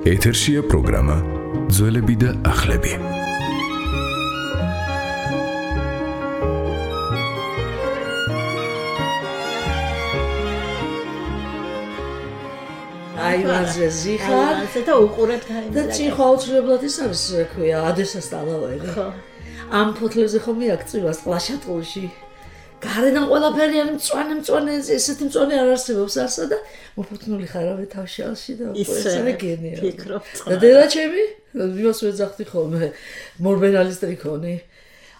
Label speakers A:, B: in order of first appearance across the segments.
A: ეთერშია პროგრამა ძველები და ახლები.
B: აივანზე ზიხარ
C: და უყურებთ
B: და ჭიხვა აუცილებლად ის არის ქვია ადესას ტალავები.
C: ხო.
B: ამ ფოთლებზე ხომ იაქცევას ყლაშატყულში. გარედან ყველაფერი არის მწვანე ესეთი მწვანე არ არსებობს არსა და მოფოთნული ხარავე თავშალში და ესაა გენია.
C: ფიქრობ.
B: და დედაჩემი იმას ვეძახდი ხოლმე მორბენალის ტრიქონი.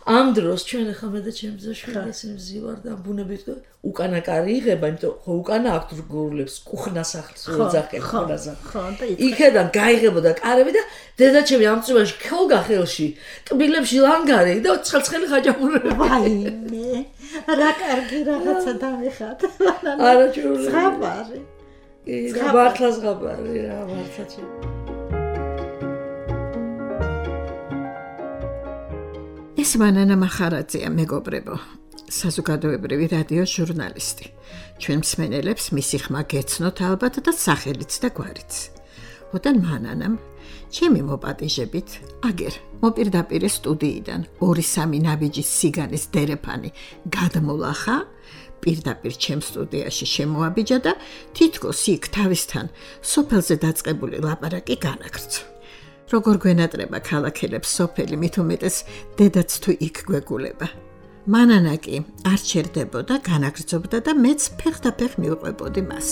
B: ამ დროს ჩვენ ახლა მე და ჩემი ძაშვილი ისინი მზივარ და ბუნებით უკანა კარი იღება, იმიტომ ხო უკანა აქვს გურულებს კუხნას ახლს ვეძახებ ხონაზე.
C: ხო და
B: იქედან გაიღებოდა კარები და დედაჩემი ამ წვიმაში ქოლგა ხელში, ტბილებში ლანგარი და ცხელ-ცხელი ხაჭაპურები.
C: ვაიმე, რა კარგი რაღაცა დამიხატ.
B: არა ჭურული.
C: ზღაპარი.
B: მართლა ზღაპარი რა მართლა ჭი.
C: ეს მანანა მახარაძეა მეგობრებო, საზოგადოებრივი რადიო ჟურნალისტი. ჩვენ მსმენელებს მისი ხმა გეცნოთ ალბათ და სახელიც და გვარიც. ოდან მანანამ ჩემი მოპატიჟებით აგერ მოპირდაპირ სტუდიიდან 2-3 ნაბიჯის სიგანის დერეფანი გადმოლახა, პირდაპირ ჩემ სტუდიაში შემოაბიჯა და თითქოს იქ თავისთან სოფელზე დაწყებული ლაპარაკი განაგრძო. როგორ გვენატრება ქალაქელებს სოფელი, მით უმეტეს დედაც თუ იქ გვეგულება. მანანა კი არ ჩერდებოდა, განაგრძობდა და მეც ფეხდაფეხ მივყვებოდი მას.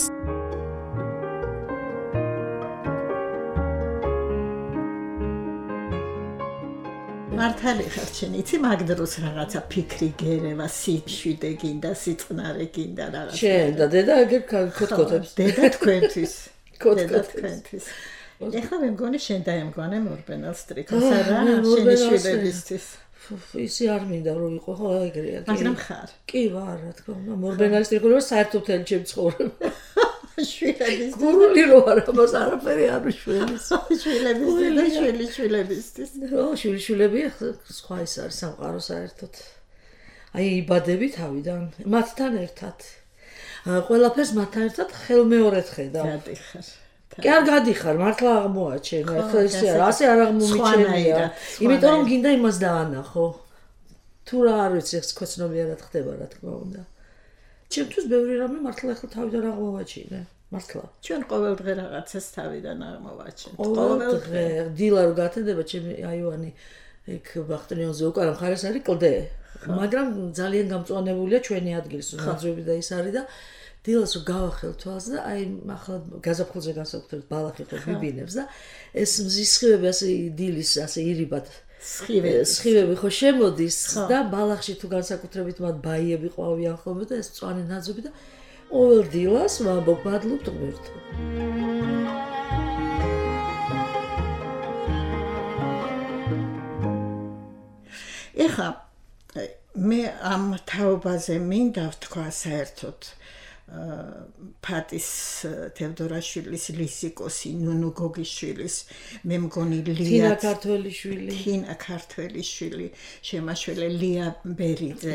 C: მართალი ხარ შენ, იცი მაგ დროს რაღაცა ფიქრი გერევა, სიშვიდე გინდა, სიწყნარე გინდა რაღაცა.
B: შენ და დედა აგერ ქოთქოთებს.
C: დედა თქვენთვის. დედა თქვენთვის. ეხლა მე მგონი შენ დაემგვანე მორბენალს ტრიქონს არა, შენი შვილებისთვის.
B: ისი არ მინდა რომ იყო ხო ეგრეა.
C: მაგრამ ხარ.
B: კი ვარ, რა თქმა უნდა, მორბენალის ტრიქონი საერთოდ მთელი ჩემი ცხოვრება.
C: შვილების
B: გურული რო არა, მას არაფერი არ უშველის.
C: შვილებისთვის და შვილებისთვის.
B: რო შვილები სხვა ის არის სამყარო საერთოდ. აი იბადები თავიდან, მათთან ერთად. ყველაფერს მათთან ერთად ხელმეორედ ხედავ.
C: გადიხარ.
B: კი არ გადიხარ, მართლა აღმოაჩენ, ახლა ისე არა, ასე არ აღმომიჩენია. იმიტომ რომ გინდა იმას დაანახო. თუ რა არ ვიცი, ეს ქვეცნობიერად ხდება, რა თქმა უნდა. ჩემთვის ბევრი რამე მართლა ახლა თავიდან აღმოვაჩინე. მართლა.
C: ჩვენ ყოველდღე რაღაცას თავიდან აღმოვაჩენთ.
B: ყოველდღე დილა რო გათენდება ჩემი აივანი იქ ბახტრიონზე უკან მხარეს არის კლდე. მაგრამ ძალიან გამწვანებულია ჩვენი ადგილი, ნაძვები და ის არის და დილას რო გავახელ თვალს და აი ახლა გაზაფხულზე განსაკუთრებით ბალახი ხო ბიბინებს და ეს მზის სხივები ასე დილის ასე ირიბად სხივები ხო შემოდის და ბალახში თუ განსაკუთრებით მათ ბაიები ყვავიან ხოლმე და ეს მწვანე ნაძვები და ყოველ დილას ვამბობ მადლობთ ღმერთო.
C: ეხლა მე ამ თაობაზე მინდა ვთქვა საერთოდ ფატის თევდორაშვილის ლისიკოსი ნუნუ გოგიშვილის მე მგონი
B: თინა ქართველიშვილი
C: შემაშველე ლია ბერიძე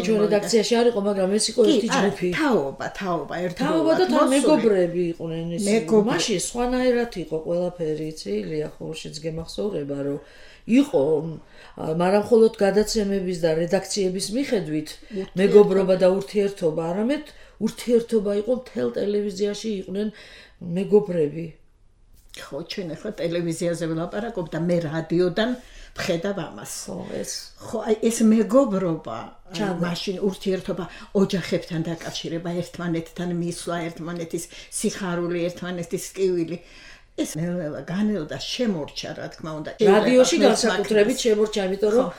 B: ჩვენ რედაქციაში არ იყო მაგრამ ეს იყო ერთი ჯგუფი
C: თაობა ერთად
B: თაობა და თან მეგობრები იყვნენ ის მაშინ სხვანაირად იყო ყველაფერი იცი ლია ხურშიც გემახსოვრება რომ იყო მაგრამ მხოლოდ გადაცემების და რედაქციების მიხედვით მეგობრობა და ურთიერთობა არამედ ურთიერთობა იყო მთელ ტელევიზიაში იყვნენ მეგობრები.
C: ხო, ჩვენ ახლა ტელევიზიაზე ვლაპარაკობ და მე რადიოდან ვხედავ ამას. ხო, აი ეს მეგობრობა, მაშინ ურთიერთობა ოჯახებთან დაკავშირება, ერთმანეთთან მისვლა, ერთმანეთის სიხარული, ერთმანეთის ტკივილი. ეს ნელა განელდა შემორჩა რა თქმა უნდა
B: რადიოში განსაკუთრებით შემორჩა იმიტომ რომ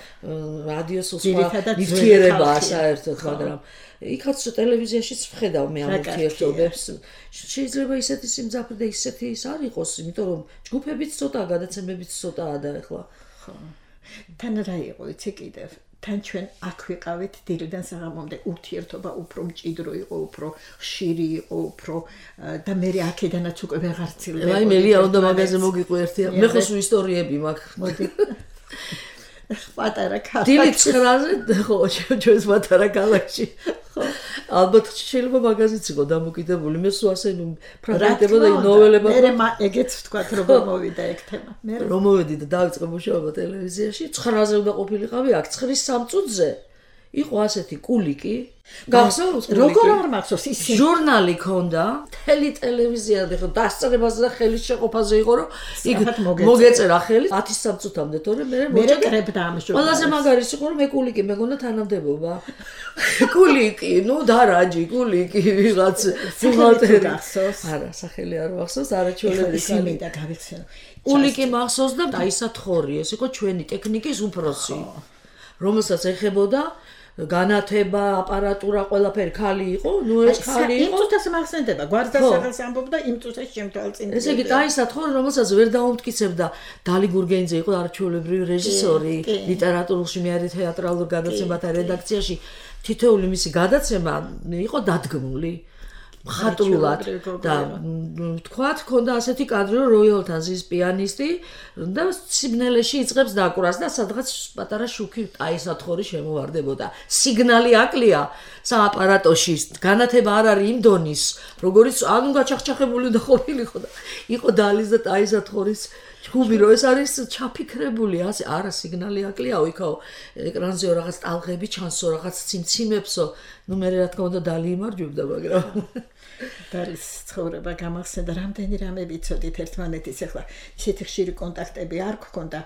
B: რადიოს სხვა ნივთიერებაა საერთოდ მაგრამ იქაც ტელევიზიაშიც ვხედავ მე ამ ურთიერთობებს შეიძლება ისეთი სიმძაფრე და ისეთი ის არ იყოს იმიტომ რომ ჯგუფებიც ცოტაა გადაცემებიც ცოტაა და ახლა
C: ხო თან რა იყო იცი კიდევ თან ჩვენ აქ ვიყავით დილიდან საღამომდე ურთიერთობა უფრო მჭიდრო იყო უფრო ხშირი იყო უფრო და მე აქედანაც უკვე ვეღარ ცილდება
B: აი მე ლია უნდა მაგაზე მოგიყვი ერთი მე ხო სულ ისტორიები მაქვს
C: მოდი პატარა ქალაქში
B: დილით 9-ზე ხო ჩვენს პატარა ქალაქში ხო ალბათ შეიძლება მაგაზიც იყო დამოკიდებული. მე სულ ასე ფრაგმენტებოდა ნოველებად.
C: მე ეგეც ვთქვათ როგორ მოვიდა ეგ თემა. მე
B: რომ მოვედი და დავიწყე მუშაობა ტელევიზიაში, 9-ზე უნდა ყოფილიყავი აქ 9-3 წუთზე. იყო ასეთი კულიკი. გახსოვს კულიკი?
C: როგორ არ მახსოვს ის
B: ჟურნალი ქონდა, მთელი ტელევიზია და დასწრებაზე და ხელის შეყოფაზე იყო, რომ იქ მოგეწერა ხელი 10-3 წუთამდე, თორე მე
C: კრებდა ამ ჟურნალს.
B: ყველაზე მაგარი იყო, რომ მე კულიკი მეგონა თანამდებობა. კულიკი, ნუ დარაჯი, კულიკი, ვიღაც ბუღალტერი გახსოვს? არა, სახელი არ მახსოვს, არაჩვენებელი
C: ხალი და გავიხსენე.
B: კულიკი მახსოვს და დაისათხოვრი, ეს იყო ჩვენი ტექნიკის უფროსი. რომელსაც ეხებოდა განათება, აპარატურა, ყველაფერი ხალი იყო, ნუ ეს ხალი იყო.
C: იმ წუთას მახსენდება, გვარდასაღელს ამბობდა იმ წუთას შემთვალწინ.
B: ესე იგი დაისათხოვრი, რომელსაც ვერ დაუმტკიცებდა დალი გურგენიძე იყო არჩეულებრივი რეჟისორი, ლიტერატურაში მე არის თეატრალურ გადაცემათა რედაქციაში, თითოეული მისი გადაცემა იყო დადგმული. ხატრულად და თქვათ, ქონდა ასეთი კადრი, რომ როიალთან ზის პიანისტი და სიგნალეში იწყებს დაკვრას და სადღაც პატარა შუქი აისათხოვრი შემოვარდებოდა. სიგნალი აკლია სააპარატოში, განათება არ არის იმ დონის, როგორიც ანუ გაჩახჩახებული და ყოფილიყო და იყო დალის და აისათხოვრის ჩხუბი, რომ ეს არის ჩაფიქრებული, ასე არა სიგნალი აკლია, იქაო ეკრანზეო რაღაც ტალღები ჩანსო, რაღაც ციმციმებსო, ნუ მე რა თქმა უნდა დალი იმარჯვებდა, მაგრამ
C: დალის ცხოვრება გამახსენდა, რამდენი რამე ვიცოდით ერთმანეთის, ახლა ისეთი ხშირი კონტაქტები არ გქონდა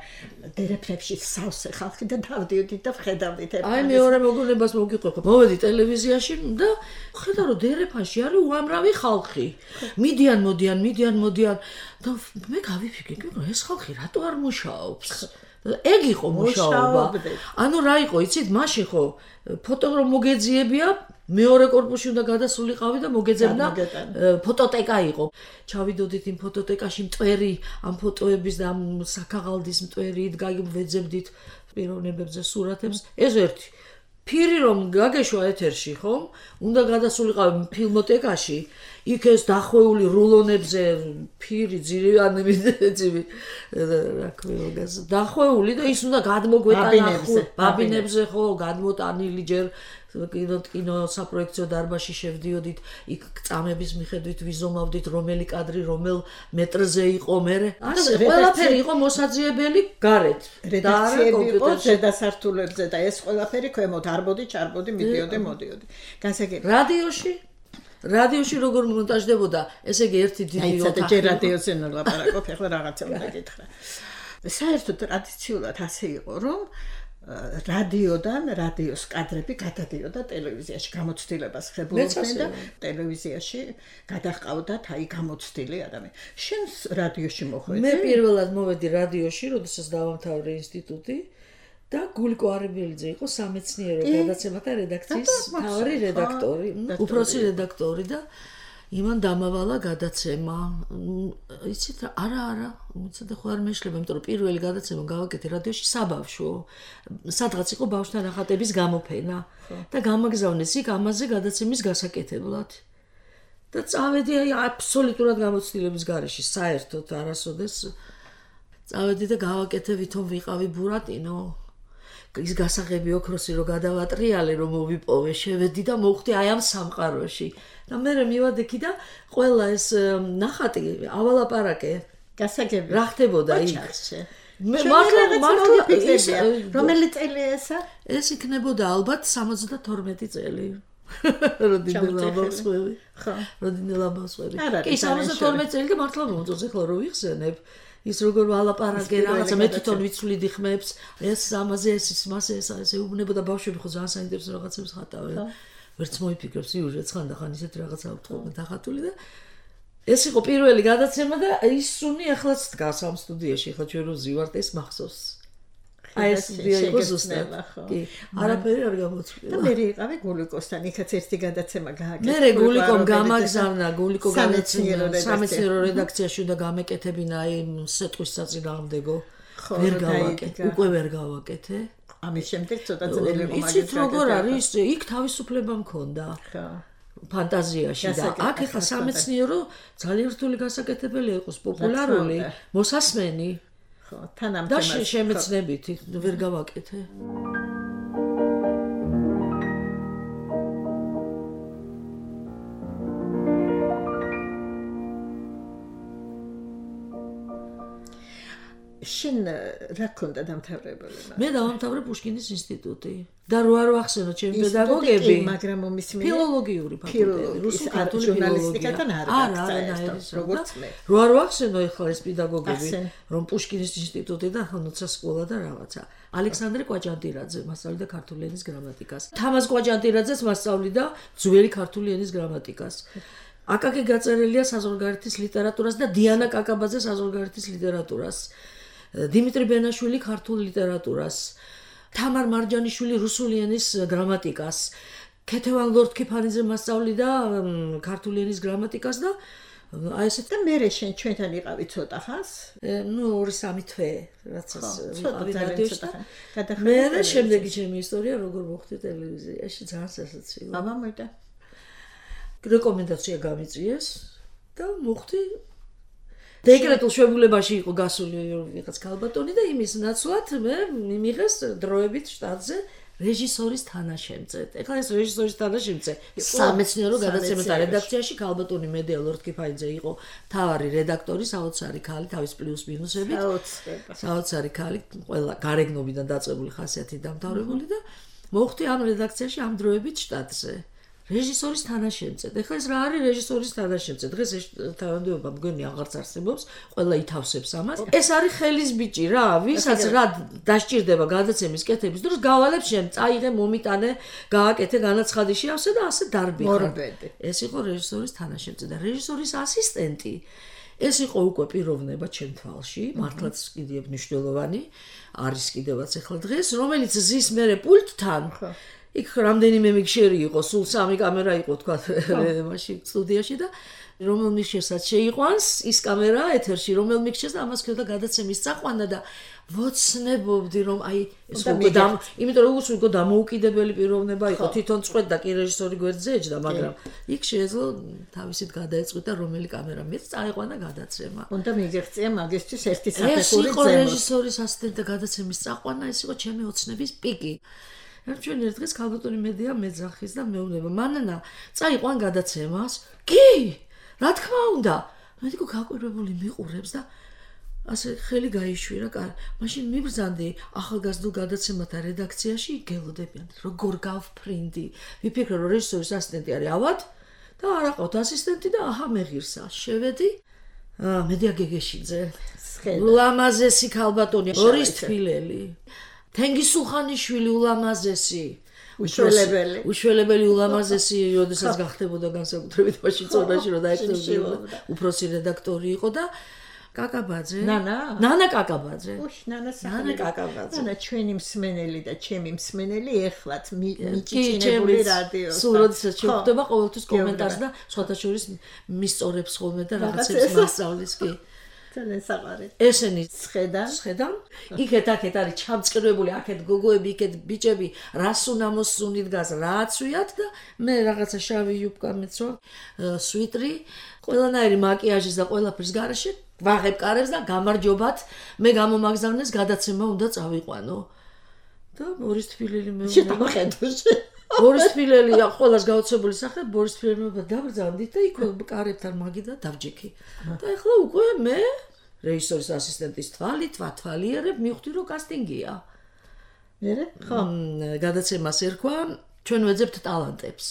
C: დერეფნებში სავსე ხალხი და დავდიოდით და ვხედავდით ერთმანეთს.
B: აი მეორე მოგონებას მოგიყვება. მოვედი ტელევიზიაში და ხედავ რომ დერეფანში არის უამრავი ხალხი. მიდიან და მე გავიფიქრე, რომ ეს ხალხი რატო არ მუშაობს? ეგ იყო მუშაობა. ანუ რა იყო, იცით, მაშინ ხო ფოტო რომ მოგეძიებია, მეორე კორპუსში უნდა გადასულიყავი და მოგეძებდა ფოტოტეკა იყო. ჩავიდოდით იმ ფოტოტეკაში მტვერი, ამ ფოტოების და ამ საქაღალდის მტვერი, ვეძებდით პიროვნებებზე სურათებს. ეს ერთი. ფირი რომ გაგეშვა ეთერში, ხომ? უნდა გადასულიყავი ფილმოტეკაში, იქ ეს დახვეული რულონებზე ფირი ძირი რა ქვია, დახვეული და ის უნდა გადმოგვეტანა ბაბინებზე, ხო, გადმოტანილი ჯერ კინო საპროექციო დარბაზში შევდიოდით, იქ წამების მიხედვით ვიზომავდით რომელი კადრი რომელ მეტრზე იყო, მე ასე ყველაფერი იყო მოსაძიებელი გარეთ.
C: რედაქციები იყო ზედასართულებზე და ეს ყველაფერი ქვემოთ არბოდი, ჩარბოდი, მიდიოდი. განსაკუთრებით
B: რადიოში როგორ მონტაჟდებოდა, ესე იგი ერთი დიდი
C: ოთახი. ჯერ რადიოზე ნოლაპარაკობ, ახლა რაღაცა უნდა გითხრა. საერთოდ ტრადიციულად ასე იყო, რომ რადიოს კადრები გადადიოდა ტელევიზიაში, გამოცდილებას ხებულობდნენ და ტელევიზიაში გადაჰყავდათ აი გამოცდილი ადამიანი. შენ რადიოში მოხვედი?
B: მე პირველად მოვედი რადიოში, როდესაც დავამთავრე ინსტიტუტი და გულიკო არებელიძე იყო სამეცნიერო გადაცემათა რედაქციის მთავარი რედაქტორი, უფროსი რედაქტორი და იმან დამავალა გადაცემა. იცით რა, არა, უცადე ხო არ მეშლება, იმიტომ რომ პირველი გადაცემა გავაკეთე რადიოში საბავშვო. სადღაც იყო ბავშვთა ნახატების გამოფენა და გამაგზავნეს იქ ამაზე გადაცემის გასაკეთებლად. და წავედი აი აბსოლუტურად გამოცდილების გარეშე, საერთოდ არასოდეს წავედი და გავაკეთე ვითომ ვიყავი ბურატინო. ის გასაღები ოქროსი რო გადავატრიალე, რომ მოვიპოვე, შევედი და მოვხდი აი ამ სამყაროში. და მე მივადექი და ყველა ეს ნახატი ავალაპარაკე.
C: გასაგები
B: რა ხდებოდა იქ?
C: მე მართლა რომელი წელი ესა?
B: ეს იქნებოდა ალბათ 72 წელი. როდინელაბავსველი. ხო, როდინელაბავსველი. კი, 72 წელი და მართლა მომწონს ახლა რო ვიხსენებ. ის როგორ ვალაპარაკე რაღაცა მე თვითონ ვიცვლიდი ხმებს, ეს ამაზე ეს მასე ეს ეუბნებოდა ბავშვები ხო ძალიან საინტერესო რაღაცებს ხატავენ. ვერც მოიფიქრებ სიუჟეტს ხანდახან ისეთ რაღაცა ვთხოვენ დახატული და ეს იყო პირველი გადაცემა და ის სუნი ახლაც დგას ამ სტუდიაში, ხო ჩვენ რო ზივართ ეს მახსოვს. აი ეს იყო ზუსტად. კი, არაფერი არ გამოწვია.
C: და მე იყავი გულიკოსთან, იქაც ერთი გადაცემა გააკეთა.
B: მე გულიკომ გამაგზავნა, გულიკო სამეცნიერო რედაქციაში უნდა გამეკეთებინა აი სეტყვის საწინააღმდეგო. ვერ გავაკეთე, უკვე ვერ გავაკეთე.
C: ამის შემდეგ ცოტა ძნელი იყო მაგის.
B: იცით როგორ არის, იქ თავისუფლება მქონდა. ხო. ფანტაზიაში და აქ ახლა სამეცნიერო ძალიან რთული გასაკეთებელი იყოს, პოპულარული, მოსასმენი. ხო, თანამდებობა. და შემეცნებით ვერ გავაკეთე.
C: შენ რა ქონდა დამთავრებული?
B: მე დავამთავრე პუშკინის ინსტიტუტი და რო არ ვახსენო ჩემი პედაგოგები,
C: მაგრამ ომის
B: ფილოლოგიური ფაკულტეტი, რუსული ქართული
C: ჟურნალისტიკათან არ გაქცა, როგორც მე.
B: რო არ ვახსენო ეხლა ეს პედაგოგები, რომ პუშკინის ინსტიტუტიდან ხანოცა სკოლა და რაღაცა. ალექსანდრე კვაჭანტირაძე მასწავლიდა ქართული ენის გრამატიკას. თამაზ კვაჭანტირაძეც მასწავლიდა ძველი ქართული ენის გრამატიკას. აკაკი გაწერილია საზღვარგარეთის ლიტერატურას და დიანა კაკაბაძე საზღვარგარეთის ლიტერატურას. დიმიტრი ბენაშვილი ქართულ ლიტერატურას. თამარ მარჯანიშვილი რუსული ენის გრამატიკას. ქეთევან ლორდ-ქიფანიძე მასწავლიდა ქართული ენის გრამატიკას და აი ესეთ
C: და მე შენ ჩვენთან იყავი ცოტა ხანს?
B: 2-3 თვე, რაცაც ვიყავი რადიოში. მე შემდეგი ჩემი ისტორია როგორ მოხდა ტელევიზიაში, ძალიან სასაცილო.
C: აბა მოიდა.
B: რეკომენდაცია გამიწიეს და მოხდი დეკრეტულ შეებულებაში იყო გასული ვიღაც ქალბატონი და იმის ნაცვლად მე მიმიღეს დროებით შტატზე რეჟისორის თანაშემწე. ეხლა ეს რეჟისორის თანაშემწე სამეცნიერო გადაცემათა რედაქციაში ქალბატონი მედია ლორდ-ქიფანიძე იყო მთავარი რედაქტორი, საოცარი ქალი, თავის პლუს მინუსებით. საოცარი ქალი, ყველა გარეგნობიდან დაწყებული ხასიათით დამთავრებული და მოხდი ამ რედაქციაში ამ დროებით შტატზე. რეჟისორის თანაშემწე. ეხლა ეს რა არის რეჟისორის თანაშემწე? დღეს ეს თანამდებობა მგონი აღარც არსებობს, ყველა ითავსებს ამას. ეს არის ხელის ბიჭი რა, ვისაც რა დასჭირდება გადაცემის კეთების დროს, გავალებ შენ, წაიღე, მომიტანე, გააკეთე განაცხადი შეავსე და ასე დარბიხარ. ეს იყო რეჟისორის თანაშემწე და რეჟისორის ასისტენტი. ეს იყო უკვე პიროვნება ჩემ თვალში, მართლაც კიდევ მნიშვნელოვანი არის კიდევაც ეხლა დღეს, რომელიც ზის მერე პულტთან იქ რამდენიმე მიქშერი იყო, სულ 3 კამერა იყო თქვა მაშინ სტუდიაში და რომელ მიქშერსაც შეიყვანს ის კამერა ეთერში, რომელ მიქშერს და ამას ქონდა გადაცემის წაყვანა და ვოცნებობდი რომ აი ეს უკვე იმიტომ რომ უკვე დამოუკიდებელი პიროვნება იყო, თვითონ წყვეტდა კი რეჟისორი გვერდზე ეჯდა, მაგრამ იქ შეეძლო თავისით გადაეწყვიტა რომელი კამერა მეც წაიყვანა გადაცემა.
C: უნდა მიგეღწია მაგისთვის ერთი საფეხური
B: ზემოთ. ეს იყო რეჟისორის ასისტენტი გადაცემის წაყვანა, ეს იყო ჩემი ოცნების პიკი. ჩვენ ერთ დღეს ქალბატონი მედია მეძახის და მეუბნება მანანა წაიყვან გადაცემას კი რა თქმა უნდა მე თქო გაკვირვებული მიყურებს და ასე ხელი გაიშვირა მაშინ მიბრძანდი ახალგაზრდულ გადაცემათა რედაქციაში გელოდებიან როგორ გავფრინდი ვიფიქრე რომ რეჟისორის ასისტენტი არის ავად და არ აყავთ ასისტენტი და აჰა მეღირსა შევედი მედია გეგეშიძე ულამაზესი ქალბატონი ორის თბილელი თენგისულხანიშვილი ულამაზესი უშველებელი ულამაზესი როდესაც გახდებოდა განსაკუთრებით მაშინ წონაში რომ დაექცევდა უფროსი რედაქტორი იყო და კაკაბაძე ნანა კაკაბაძე
C: ნანა კაკაბაძე ნანა ჩვენი მსმენელი და ჩემი მსმენელი ეხლაც მიჭიჭინებული რადიოს
B: სულ როდესაც შევხვდება ყოველთვის კომენტარს და სხვათა შორის მისწორებს ხოლმე და რაღაცებს მასწავლის კი
C: ძალიან საყარი.
B: ესენი სხედან. იქეთ-აქეთ არის ჩამწკრივებული, აქეთ გოგოები, იქეთ ბიჭები, რას უნდა მოსუნით გას, რა აცვიათ და მე რაღაცა შავი იუბკა მეცვა, სვიტრი, ყველანაირი მაკიაჟის და ყველაფრის გარეშე, ვაღებ კარებს და გამარჯობათ, მე გამომაგზავნეს გადაცემა უნდა წავიყვანო. და ბორის თბილელი მე ბორის თბილელი ყველას გაოცებული სახე ბორის თბილელი დაბრძანდით და იქ კარებთან მაგიდა დავჯექი და ახლა უკვე მე რეჟისორის ასისტენტის თვალიერებ მივხვდი რომ კასტინგია მერე ხო გადაცემას ერქვა ჩვენ ვეძებთ ტალანტებს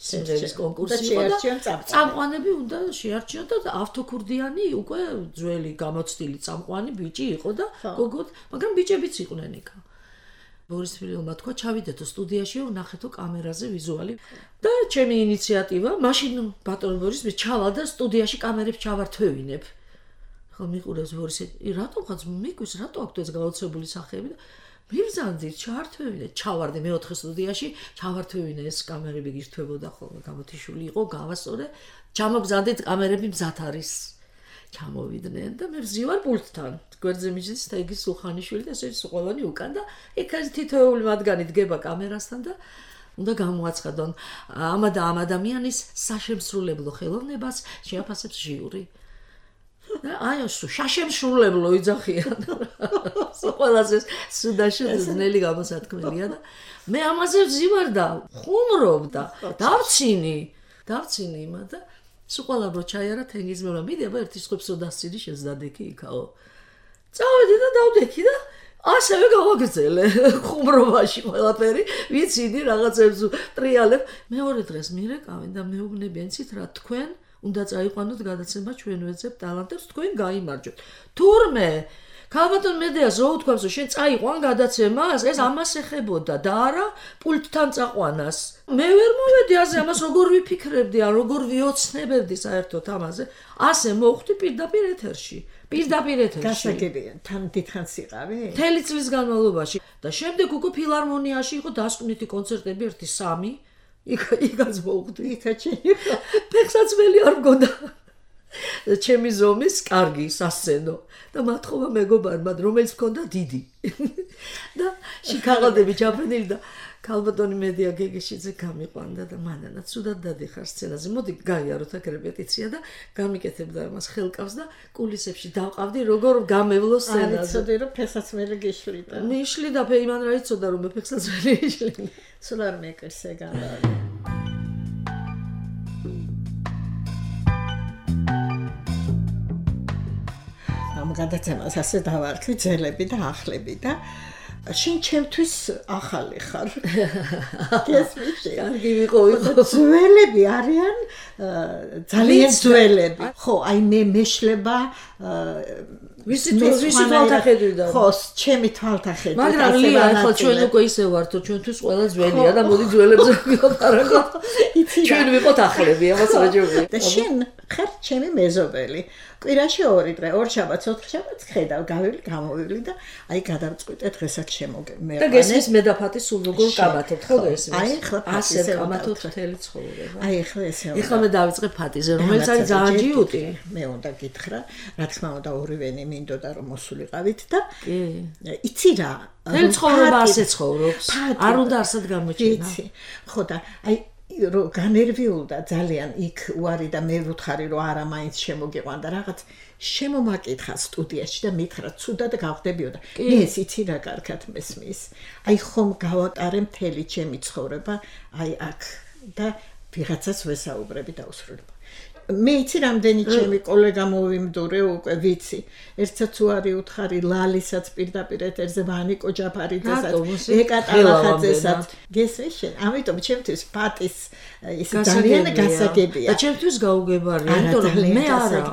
B: სიმღერის კონკურსი იყო და წამყვანები უნდა შეარჩიოთ და ავთოქურდიანი უკვე ძველი გამოცდილი წამყვანი ბიჭი იყო და გოგოთ მაგრამ ბიჭებიც იყვნენ იქ ბორის თბილელმა თქვა ჩავიდეთო სტუდიაში ვნახეთო კამერაზე ვიზუალი და ჩემი ინიციატივა მაშინ ბატონ ბორის მე ჩავალ და სტუდიაში კამერებს ჩავართვევინებ ხო მიყურებს ბორისი რატომ ხაც მიგვის რატო აქვთ ეს გაოცებული სახეები და მიბრძანდით ჩავართვევინე ჩავარდი მეოთხე სტუდიაში ჩავართვევინე ეს კამერები გირთვებოდა ხოლმე გამოთიშული იყო გავასწორე ჩამობრძანდით კამერები მზად არის ჩამოვიდნენ და მე ვზივარ პულტთან გვერდზე მიჯდის თეგის სულხანიშვილი და ესე ყველანი უკან და იქ თითოეული მათგანი დგება კამერასთან და უნდა გამოაცხადონ ამ ადამიანის საშემსრულებლო ხელოვნებას შეაფასებს ჟიური და აი შაშემსრულებლო იძახიან ყველაზე სუდაში ძნელი გამოსათქმელია და მე ამაზე ვზივარ და ხუმრობ და დავცინი იმად და სულ ყველა რო ჩაიარა თენგიზმელა მიდია ერთი სხვებსო დასცინი შეძდადექი იქაო წავედი და დავდექი და ასევე გავაგრძელე ხუმრობაში ყველაფერი, ვიციდი რაღაცებს ტრიალებ. მეორე დღეს მირეკავენ და მეუბნებიან, იცით რა, თქვენ უნდა წაიყვანოთ გადაცემა, ჩვენ ვეძებთ ტალანტებს, თქვენ გაიმარჯვეთ. თურმე ქალბატონ მედეას რო უთქვამს, რომ შენ წაიყვან გადაცემას, ეს ამას ეხებოდა და არა პულტთან წაყვანას. მე ვერ მოვედი ასე ამას როგორ ვიფიქრებდი, ან როგორ ვიოცნებებდი საერთოდ ამაზე. ასე მოვხვდი პირდაპირ ეთერში.
C: გასაგებია, თან დიდხანს იყავი?
B: მთელი წლის განმავლობაში და შემდეგ უკვე ფილარმონიაში იყო დასკვნითი კონცერტები 1-3. იქაც მოვხვდი. იქაჩენი. ფეხსაცმელი არ მგონდა. ჩემი ზომის კარგი სასცენო და მათხოვა მეგობარმა, რომელიც მქონდა დიდი. და შიქაღალდები ჩაფრენილი და ქალბატონი მედია გეგეშიძე გამიყვანდა და მანანა ცუდად დადიხარ სცენაზე. მოდი გაიაროთ აქ რეპეტიცია და გამიკეთებდა მას ხელკავს და კულისებში დავყავდი როგორ გამევლო სცენაზე.
C: არ იცოდი რომ ფეხსაცმელი გიშლიდა.
B: მიშლი და იმან რა იცოდა რომ მე ფეხსაცმელი იშლი.
C: სულ არ მეკერს ეგანა. ამ გადაცემას ასე დავარქვი ძელები და ახლები და შენ ჩემთვის ახალი ხარ. გესმის?
B: კარგი ვიყო.
C: ძველები არიან ძალიან ძველები. ხო, აი მე მეშლება
B: ვისი თვალთახედვიდან.
C: ხო, ჩემი თვალთახედვით.
B: მაგრამ ლია, ხო ჩვენ უკვე ისე ვართ, რომ ჩვენთვის ყველა ძველია და მოდი ძველებზე ვიყოთ. ჩვენ ვიყოთ ახლები, ამას რა ჯობია.
C: და შენ ხარ ჩემი მეზობელი. კვირაში 2 დღე, 2 შაბათს, 4 შაბათს ხედავ, გამოვივლი და აი გადავწყვიტე დღესაც შემოგმეყანე.
B: და გესმის მედაფათი სულ როგორ კაბათობთ, ხო გესმის?
C: აი ხლა
B: ასე კაბათობთ მთელი ცხოვრება.
C: აი ხლა ესე.
B: ეხლა მე დავიწყე ფათიზე, რომელიც არის ძალიან ჯიუტი.
C: მე უნდა გითხრა, რა თქმა უნდა ორივენი მინდოდა რომ მოსულიყავით და
B: კი.
C: იცი რა,
B: მთელი ცხოვრება ასე ცხოვრობს. არ უნდა არსად გამოჩინა.
C: იცი. ხო და აი რომ განერვიულდა ძალიან იქ უარი და მე ვუთხარი რომ არა მაინც შემოგიყვან და რაღაც შემომაკითხა სტუდიაში და მითხრა ცუდად გავხდებიო და ეს იცი რა კარგად მესმის. აი ხომ გავატარე მთელი ჩემი ცხოვრება აი აქ და ვიღაცას ვესაუბრები დაუსრულებ. მე იცი რამდენი ჩემი კოლეგა მოვიმდურე უკვე ვიცი. ერთსაც უარი უთხარი ლალისაც პირდაპირ ეთერზე ვანიკო ჯაფარიძესაც, ეკატალახაძესაც. გესმის შენ? ამიტომ ჩემთვის პატის ის ძალიან გასაგებია.
B: და ჩემთვის გაუგებარია, იმიტომ რომ მე არა.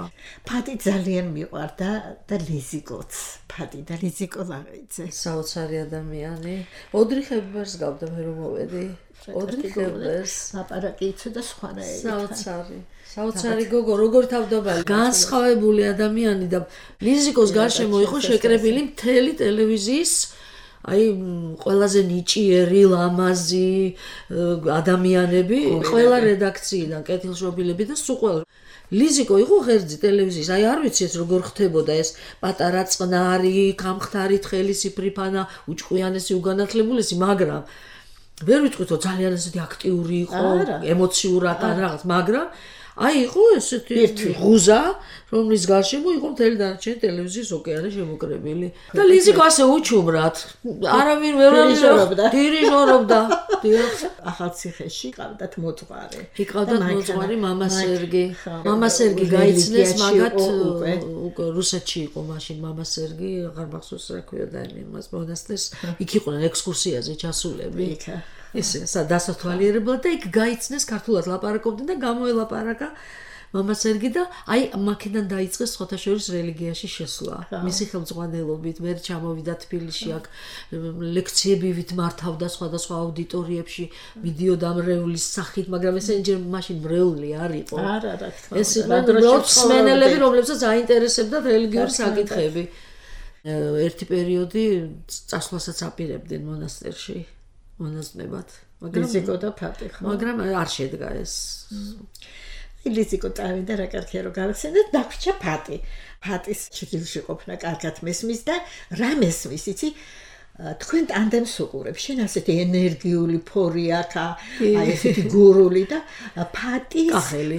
C: პატი ძალიან მიყვარდა და ლიზიკოც. პატი და ლიზიკო ლაღიძე.
B: საოცარი ადამიანი. ოდრიხებერს გავდა მე რომ მოვედი. ოდრიხებერს
C: ლაპარაკი იცოდა სხვა რაერთად.
B: საოცარი. საოცარი გოგო, როგორ თავდაბალი, განსხვავებული ადამიანი და ლიზიკოს გარშემო იყო შეკრებილი მთელი ტელევიზიის აი ყველაზე ნიჭიერი, ლამაზი ადამიანები, ყველა რედაქციიდან, კეთილშობილები და სულ ყველა. ლიზიკო იყო ღერძი ტელევიზიის, აი არ ვიცი ეს როგორ ხდებოდა ეს პატარა წყნარი, გამხდარი თხელისიფრი ფანა, უჭყვიანესი, უგანათლებულესი, მაგრამ ვერ ვიტყვით რომ ძალიან ესეთი აქტიური იყო, ემოციურად ან რაღაც, მაგრამ აი იყო ესეთი ღუზა, რომლის გარშემო იყო მთელი დანარჩენი ტელევიზიის ოკეანე შემოკრებილი. და ლიზიკო ასე უჩუმრად, არავინ ვერ დირიჟორობდა.
C: ახალციხეში ყავდათ მოძღვარი.
B: იყავდათ მოძღვარი მამა სერგი. მამა სერგი გაიცნეს, მაგათ უკვე რუსეთში იყო მაშინ მამა სერგი, აღარ მახსოვს რა ქვია იმას მონასტერს. იქ იყვნენ ექსკურსიაზე ჩასულები. ისე დასათვალიერებლად და იქ გაიცნეს ქართულად ლაპარაკობდნენ და გამოელაპარაკა მამა სერგი და აი მაქედან დაიწყეს სხვათა შორის რელიგიაში შესვლა. მისი ხელმძღვანელობით მე ჩამოვიდა თბილისში აქ ლექციებივით მართავდა სხვადასხვა აუდიტორიებში, მიდიოდა მრევლის სახით, მაგრამ ეს ენჯერ მაშინ მრევლი არ იყო.
C: არა, რა თქმა
B: უნდა. ეს იყვნენ მსმენელები, რომლებსაც აინტერესებდათ რელიგიური საკითხები. ერთი პერიოდი წასვლასაც აპირებდნენ მონასტერში. მონაზვნებად,
C: ლიზიკო და ფატი ხო?
B: მაგრამ არ შედგა ეს.
C: ლიზიკო წავიდა რა კარგია რომ გავხსენეთ, დაგვრჩა ფატი. ფატის ჩრდილში ყოფნა კარგად მესმის და რა მესმის, იცი? თქვენ ტანდემს უყურებს, შენ ასეთი ენერგიული ფორი აქა, აი ესეთი გურული და ფატი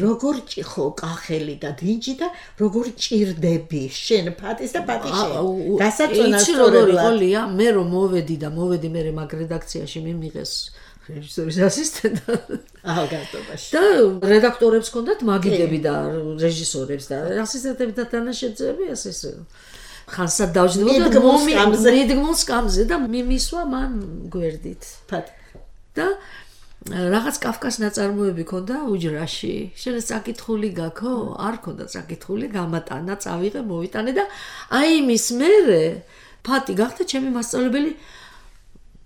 C: როგორ ხო კახელი და დინჯი და როგორ ჭირდები შენ ფატის და ფატი შენ. გასაწონას
B: სწორად. მე რომ მოვედი მე მაგ რედაქციაში მიმიღეს რეჟისორის ასისტენტად.
C: ახალგაზრდობაში.
B: და რედაქტორებს ჰქონდათ მაგიდები და რეჟისორებს და ასისტენტები და თანაშემწეები ასე. ხანსად დავჯდებოდა მიდგმულ სკამზე და მიმისვა მან გვერდით. და რაღაც კაფკას ნაწარმოები ქონდა უჯრაში. შენ წაკითხული გაქო? არ ქონდა წაკითხული, გამატანა, წავიღე, მოვიტანე და აი იმის მერე ფატი გახდა ჩემი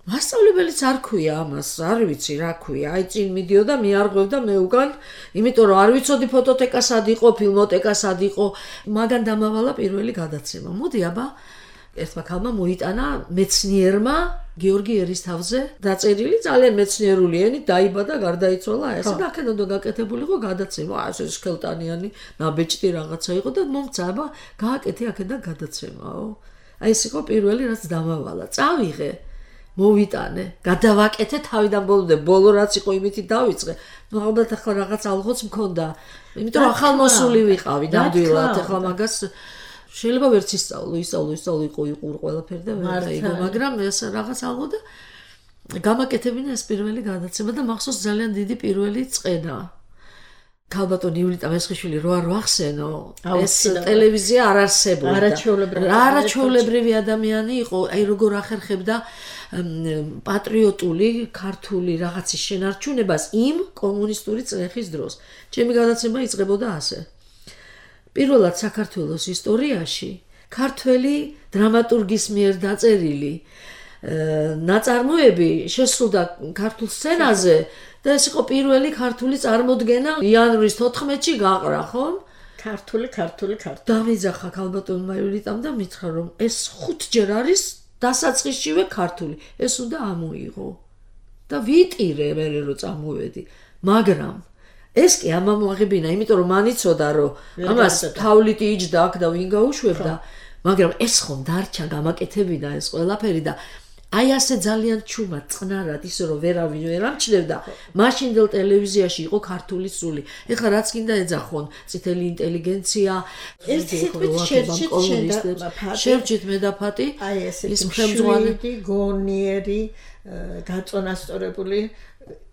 B: მასწავლებელიც არ ქვია ამას, არ ვიცი რა ქვია. აი წინ მიდიოდა, მიარღვევდა მე უკან, იმიტომ რომ არ ვიცოდი ფოტოთეკა სად იყო, ფილმოთეკა სად იყო, მაგან დამავალა პირველი გადაცემა. მოდი აბა ერთმა ქალმა მოიტანა მეცნიერმა გიორგი ერისთავზე დაწერილი ძალიან მეცნიერული ენით დაიბადა, გარდაიცვალა ესე და აქედან უნდა გაკეთებული იყო გადაცემა. ასე სქელტანიანი ნაბეჭდი რაღაცა იყო და მომცა აბა გააკეთე აქედან გადაცემაო. აი ეს იყო პირველი რაც დამავალა. წავიღე მოვიტანე, გადავაკეთე თავიდან ბოლომდე, ბოლო რაც იყო იმითი დავიწყე. ნუ ალბათ ახლა რაღაც ალღოც მქონდა, იმიტომ რომ ახალმოსული ვიყავი ნამდვილად, ახლა მაგას შეიძლება ვერც ისწავლო იყო იყურ ყველაფერი და ვერ დაიგო, მაგრამ ეს რაღაც ალღო და გამაკეთებინა ეს პირველი გადაცემა და მახსოვს ძალიან დიდი პირველი წენა. ქალბატონი ივლიტა მესხიშვილი რო არ ვახსენო, ეს ტელევიზია არ არსებობდა. არაჩვეულებრივი ადამიანი იყო, აი როგორ ახერხებდა პატრიოტული ქართული რაღაცის შენარჩუნებას იმ კომუნისტური წრეხის დროს. ჩემი გადაცემა იწყებოდა ასე. პირველად საქართველოს ისტორიაში ქართველი დრამატურგის მიერ დაწერილი ნაწარმოები შესრულდა ქართულ სცენაზე და ეს იყო პირველი ქართული წარმოდგენა იანვრის 14-ში გაყრა, ხო?
C: ქართული.
B: დამიძახა ქალბატონმა ივლიტამ და მითხრა რომ ეს 5 ჯერ არის დასაწყისშივე ქართული. ეს უნდა ამოიღო. და ვიტირე მე რო წამოვედი, მაგრამ ეს კი ამამოაღებინა, იმიტომ რომ მან იცოდა რომ ამას თავლითი იჯდა აქ და ვინ გაუშვებდა, მაგრამ ეს ხომ დარჩა გამაკეთებინა ეს ყველაფერი და აი ასე ძალიან ჩუმად წყნარად ისე რომ ვერავინ ვერ ამჩნევდა. მაშინდელ ტელევიზიაში იყო ქართული სული. ეხლა რაც კიდე ეძახონ, წითელი ინტელიგენცია, შერჩით მე და ფატი,
C: ის მხემძღვანელი, გონიერი, გაწონასწორებული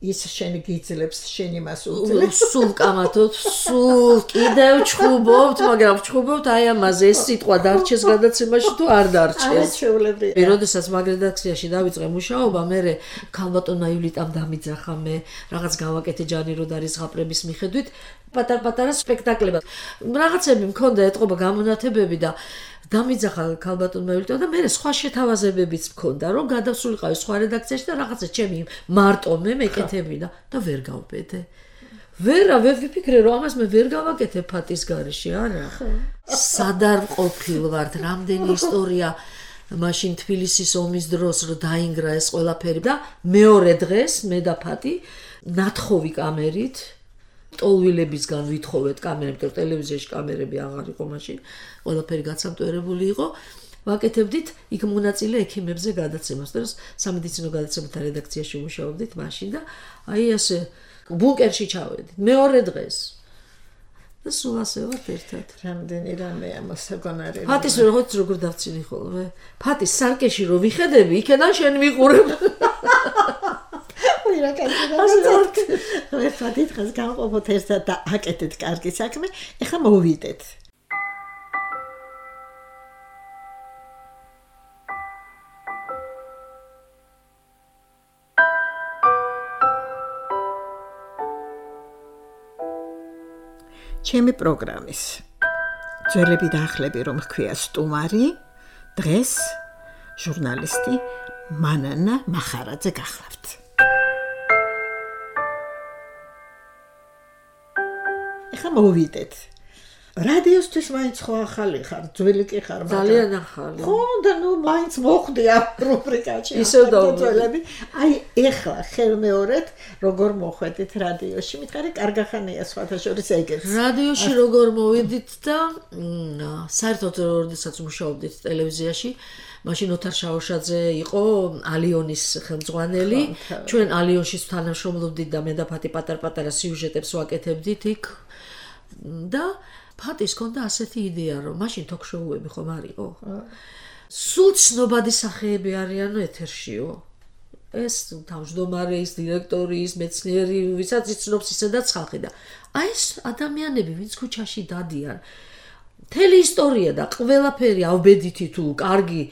C: ის შენ გიძლებს შენ იმას უძლებს
B: სულ კამათოთ სულ კიდევ ჩხუბობთ მაგრამ ჩხუბობთ აი ამაზე ეს სიტყვა დარჩეს გადაცემაში თუ არ დარჩეს
C: არაჩვეულებრივია
B: როდესაც მაგ რედაქციაში დავიწყე მუშაობა მე ქალბატონმა ივლიტამ დამიძახა მე რაღაც გავაკეთე ჯანი როდარის ზღაპრების მიხედვით პატარ-პატარა სპექტაკლებად რაღაცები მქონდა ეთყობა გამონათებები და დამიძახა ქალბატონმა ივლიტამ და მე სხვა შეთავაზებებიც მქონდა რომ გადასულიყავი სხვა რედაქციაში და რაღაცა ჩემი მარტო მე მეკეთებინა და ვერ გავბედე ვერ ვიფიქრე რომ ამას მე ვერ გავაკეთე ფატის გარეშე არა სად არ ყოფილ ვართ რამდენი ისტორია მაშინ თბილისის ომის დროს რომ დაინგრა ეს ყველაფერი და მეორე დღეს მე და ფატი ნათხოვი კამერით ტოლვილებისგან ვითხოვეთ კამერები, ტელევიზიაში კამერები აღარ იყო მაშინ, ყველაფერი გაცამტვერებული იყო. ვაკეთებდით იქ მონაწილე ექიმებზე გადაცემას, და სამედიცინო გადაცემათა რედაქციაში მუშაობდით მაშინ და აი ასე ბუნკერში ჩავედით. მეორე დღეს. და სულ ასე ვართ ერთად.
C: რამდენი რამეა მოსაგონარი.
B: ფატის როგორ დავწინი ხოლმე. ფატის სარკეში რო ვიხედები, იქიდან შენ მიყურებ.
C: ვერცად დღეს გავყოფოთ ერთად და აკეთეთ კარგი საქმე. ეხლა მოვიდეთ. ჩემი პროგრამის ძველები და ახლები რომ ჰქვია სტუმარი, დღეს ჟურნალისტი მანანა მახარაძე გახლავთ. ეხლა მოვიდეთ. რადიოსთვის მაინც ხო ახალი ხარ, ძველი კი ხარ,
B: ძალიან ახალი.
C: ხო, და ნუ მაინც მოხდი ამ რუბრიკაში.
B: ისევ დავწელები.
C: აი, ეხლა ხელმეორედ როგორ მოხვედით რადიოში? მითხარი, კარგახანია სხვათა შორის ეგეც.
B: რადიოში როგორ მოვიდით და საერთოდ როდესაც მუშაობდით ტელევიზიაში, მაშინ ოთარ შაოშაძე იყო ალიონის ხელმძღვანელი. ჩვენ ალიონში თანამშრომლობდით და მე და ფატი პატარ-პატარა სიუჟეტებს ვაკეთებდით იქ. და ფატის კონდა ასეთი იდეა რომ მაშინ თოქ-შოუები ხომ არ იყო? სულ ცნობადი სახეები არიანო ეთერშიო. ეს თავმჯდომარე, ის დირექტორი, ის მეცნიერი, ვისაც იცნობს ისედაც ხალხი და აი ეს ადამიანები ვინც ქუჩაში დადიან მთელი ისტორია და ყველაფერი ავბედითი თუ კარგი